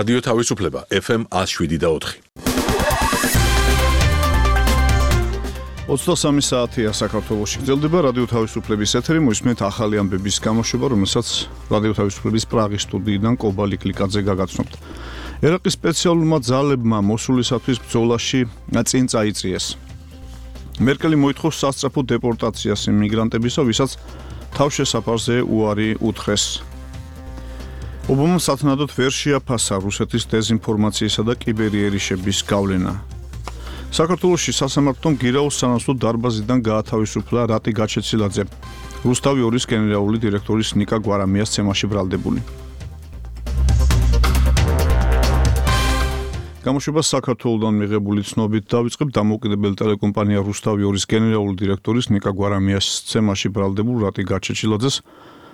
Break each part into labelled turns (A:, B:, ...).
A: რადიო თავისუფლება FM 107.4.
B: 23 საათია საქართველოში. გრძელდება რადიო თავისუფლების ეთერი, მოისმენთ ახალი ამბების გამოშვება, რომელსაც რადიო თავისუფლების პრაღის სტუდიიდან კობალი კლიკაძე გაგაცნობთ. ერაყის სპეციალურმა ძალებმა მოსულისათვის ბრძოლაში წინ წაიწიეს. მერკელი მოითხოვს სასწრაფო დეპორტაციას იმიგრანტებისა, ვისაც თავშესაფარზე უარი უთხრეს. ობამამ სათანადოდ ვერ შეაფასა რუსეთის დეზინფორმაციისა და კიბერიერიშების გავლენა. საქართველოში სასამართლომ გირაოს სანაცვლო დარბაზიდან გაათავისუფლა რატი გაჩეცილაძე, რუსთავი 2-ის გენერალური დირექტორის ნიკა გვარამიას ცემაში ბრალდებული. გამოშვება საქართველოდან მიღებული ცნობით დავიწყებ დამოუკიდებელი ტელეკომპანია რუსთავი 2-ის გენერალური დირექტორის ნიკა გვარამიას ცემაში ბრალდებულ რატი გაჩეცილაძეს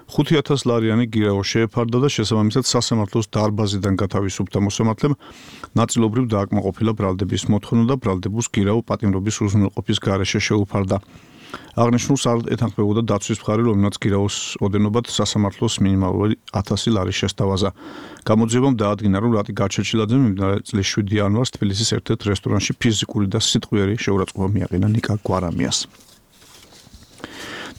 B: 5,000 ლარიანი გირაო შეეფარდა და შესაბამისად სასამართლოს დარბაზიდან გათავისუფლდა მოსამართლემ ნაწილობრივ დააკმაყოფილა ბრალდების მოთხოვნა და ბრალდებულს გირაო პატიმრობის უზრუნველყოფის გარეშე შეუფარდა. აღნიშნულს არ ეთანხმებოდა დაცვის მხარე, რომელმაც გირაოს ოდენობად სასამართლოს მინიმალური 1000 ლარი შესთავაზა. გამოძიებამ დაადგინა, რომ რატი გაჩეჩილაძემ მიმდინარე წლის 7 იანვარს თბილისის ერთ-ერთ რესტორანში ფიზიკური და სიტყვიერი შეურაცხყოფა მიაყენა ნიკა გვარამიას.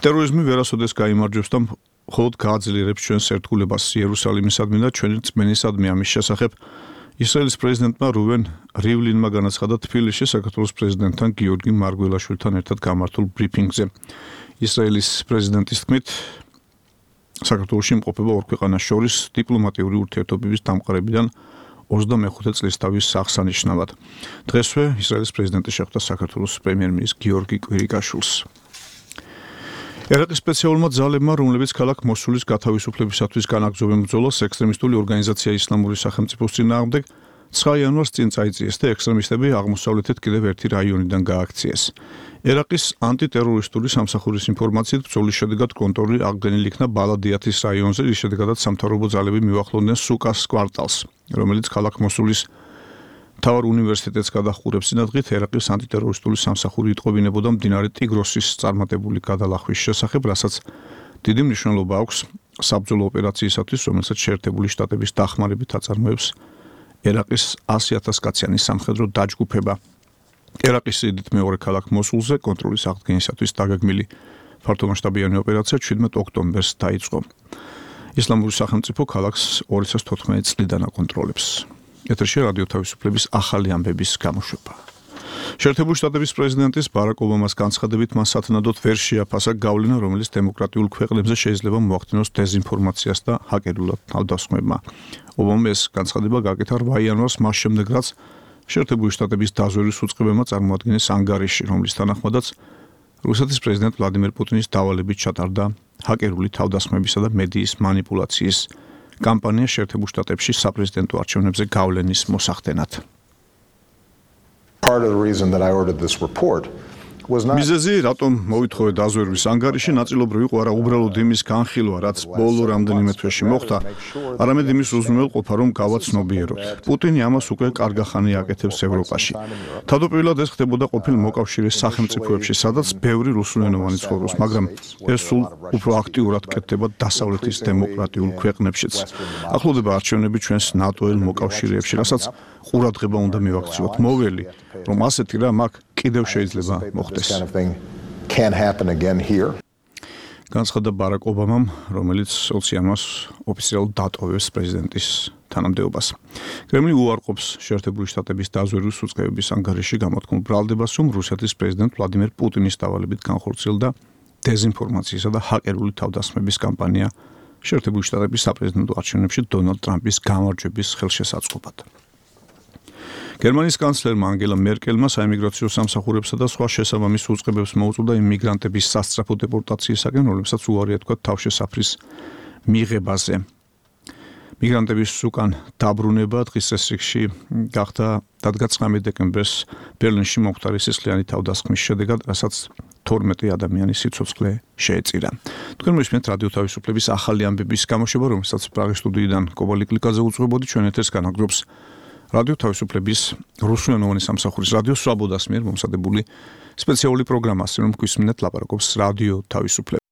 B: ტერორიზმი ვერასოდეს გაიმარჯვებს და მხოლოდ გააძლიერებს ჩვენს ერთგულებას იერუსალიმისადმი და ჩვენი რწმენისადმი. ამის შესახებ ისრაელის პრეზიდენტმა რუვენ რივლინმა განაცხადა თბილისში საქართველოს პრეზიდენტთან გიორგი მარგველაშვილთან ერთად გამართულ ბრიფინგზე. ისრაელის პრეზიდენტის თქმით, საქართველოში იმყოფება ორ ქვეყანას შორის დიპლომატიური ურთიერთობების დამყარებიდან 25 წლისთავის აღსანიშნავად. დღესვე ისრაელის პრეზიდენტი შეხვდა საქართველოს პრემიერ-მინისტრ გიორგი კვირიკაშვილს. ერაყის სპეციალურმა ძალებმა, რომლებიც ქალაქ მოსულის გათავისუფლებისათვის განაგრძობენ ბრძოლას ექსტრემისტული ორგანიზაცია ისლამური სახელმწიფოს წინააღმდეგ 9 იანვარს წინ წაიწიეს და ექსტრემისტები აღმოსავლეთით კიდევ ერთი რაიონიდან გააქციეს. ერაყის ანტიტერორისტული სამსახურის ინფორმაციით ბრძოლის შედეგად კონტროლი აღდგენილი იქნა ბალადიათის რაიონზე, რის შედეგადაც სამთავრობო ძალები მივახლოვდნენ სუკას კვარტალს, რომელიც ქალაქ მოსულის მთავარ უნივერსიტეტს გადაჰყურებს. წინადღით ერაყის ანტიტერორისტული სამსახური იტყობინებოდა მდინარე ტიგროსის წარმატებული გადალახვის შესახებ, რასაც დიდი მნიშვნელობა აქვს საბრძოლო ოპერაციისათვის, რომელსაც შეერთებული შტატების დახმარებით აწარმოებს ერაყის 100,000 კაციანი სამხედრო დაჯგუფება. ერაყის სიდიდით მეორე ქალაქ მოსულზე კონტროლის აღდგენისათვის დაგეგმილი ფართომასშტაბიანი ოპერაცია 17 ოქტომბერს დაიწყო. ისლამური სახელმწიფო ქალაქს 2014 წლიდან აკონტროლებს. ეთერში რადიო თავისუფლების ახალი ამბების გამოშვება. შეერთებული შტატების პრეზიდენტის ბარაკ ობამას განცხადებით მას სათანადოდ ვერ შეაფასა გავლენა, რომელიც დემოკრატიულ ქვეყნებზე შეიძლება მოახდინოს დეზინფორმაციას და ჰაკერულად თავდასხმებმა. ობამამ ეს განცხადება გაკეთა 8 იანვარს მას შემდეგ, რაც შეერთებული შტატების დაზვერვის უწყებებმა წარმოადგენეს ანგარიში, რომლის თანახმადაც რუსეთის პრეზიდენტ ვლადიმერ პუტინის დავალებით ჩატარდა ჰაკერული თავდასხმებისა და მედიის მანიპულაციის კამპანია შეერთებულ შტატებში საპრეზიდენტო არჩევნებზე გავლენის მოსახდენად. მიზეზი, რატომ მოვითხოვე დაზვერვის ანგარიში, ნაწილობრივ იყო არა უბრალოდ იმის განხილვა, რაც ბოლო რამდენიმე თვეში მოხდა, არამედ იმის უზრუნველყოფა, რომ გავაცნობიეროთ. პუტინი ამას უკვე კარგახანი აკეთებს ევროპაში. თავდაპირველად ეს ხდებოდა ყოფილ მოკავშირის სახელმწიფოებში, სადაც ბევრი რუსულენოვანი ცხოვრობს, მაგრამ ეს სულ უფრო აქტიურად კეთდება დასავლეთის დემოკრატიულ ქვეყნებშიც. ახლოვდება არჩევნები ჩვენს ნატოელ მოკავშირეებში, რასაც ყურადღება უნდა მივაქციოთ. მოველი, რომ ასეთი რამ აქ კიდევ შეიძლება მოხდეს. განცხადა ბარაკ ობამამ, რომელიც 20 იანვარს ოფიციალურად დატოვებს პრეზიდენტის თანამდებობას. კრემლი უარყოფს შეერთებული შტატების დაზვერვის უწყებების ანგარიში გამოთქმულ ბრალდებას, რომ რუსეთის პრეზიდენტ ვლადიმერ პუტინის დავალებით განხორციელდა დეზინფორმაციისა და ჰაკერული თავდასხმების კამპანია შეერთებული შტატების საპრეზიდენტო არჩევნებში დონალდ ტრამპის გამარჯვების ხელშესაწყობად. გერმანიის კანცლერმა ანგელა მერკელმა საიმიგრაციო სამსახურებსა და სხვა შესაბამის უწყებებს მოუწოდა იმიგრანტების სასწრაფო დეპორტაციისაგან, რომლებსაც უარი ეთქვა თავშესაფრის მიღებაზე. მიგრანტების უკან დაბრუნება დღის წესრიგში გახდა დადგა 19 დეკემბერს ბერლინში მომხდარი სისხლიანი თავდასხმის შედეგად, რასაც 12 ადამიანის სიცოცხლე შეეწირა. თქვენ მოისმენთ რადიო თავისუფლების ახალი ამბების გამოშვება, რომელსაც პრაღის სტუდიიდან კობალი კლიკაძე უძღვებოდი. ჩვენ ეთერს განაგრძობს რადიო თავისუფლების რუსულენოვანი სამსახურის რადიო სვაბოდას მიერ მომზადებული სპეციალური პროგრამა, რომ გვისმინეთ ლაპარაკობს რადიო თავისუფლება.